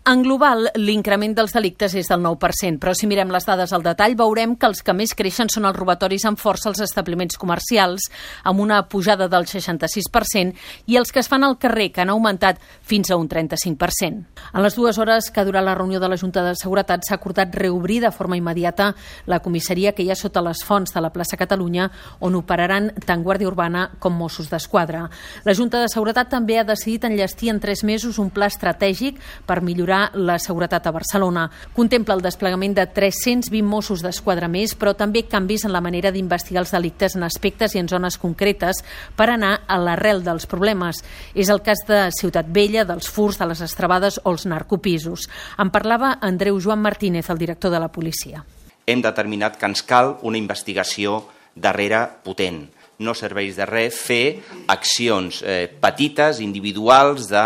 En global, l'increment dels delictes és del 9%, però si mirem les dades al detall veurem que els que més creixen són els robatoris amb força als establiments comercials, amb una pujada del 66%, i els que es fan al carrer, que han augmentat fins a un 35%. En les 2 hores que ha durat la reunió de la Junta de Seguretat s'ha acordat reobrir de forma immediata la comissaria que hi ha sota les Fonts de la plaça Catalunya, on operaran tant Guàrdia Urbana com Mossos d'Esquadra. La Junta de Seguretat també ha decidit enllestir en 3 mesos un pla estratègic per millorar la seguretat a Barcelona. Contempla el desplegament de 320 Mossos d'Esquadra més, però també canvis en la manera d'investigar els delictes en aspectes i en zones concretes per anar a l'arrel dels problemes. És el cas de Ciutat Vella, dels furts, de les estrebades o els narcopisos. En parlava Andreu Joan Martínez, el director de la policia. Hem determinat que ens cal una investigació darrere potent. No serveix de res fer accions petites, individuals, de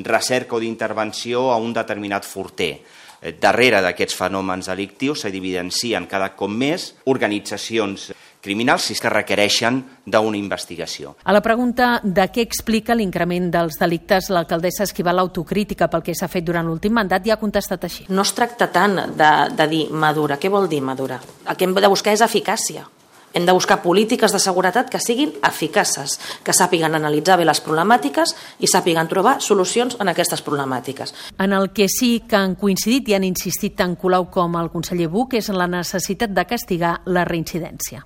recerca o d'intervenció a un determinat furter. Darrere d'aquests fenòmens delictius s'evidencien cada cop més organitzacions criminals que requereixen d'una investigació. A la pregunta de què explica l'increment dels delictes, l'alcaldessa esquiva l'autocrítica pel que s'ha fet durant l'últim mandat i ha contestat així. No es tracta tant de dir madura. Què vol dir madura? El que hem de buscar és eficàcia. Hem de buscar polítiques de seguretat que siguin eficaces, que sàpiguen analitzar bé les problemàtiques i sàpiguen trobar solucions en aquestes problemàtiques. En el que sí que han coincidit i han insistit tant Colau com el conseller Buch és en la necessitat de castigar la reincidència.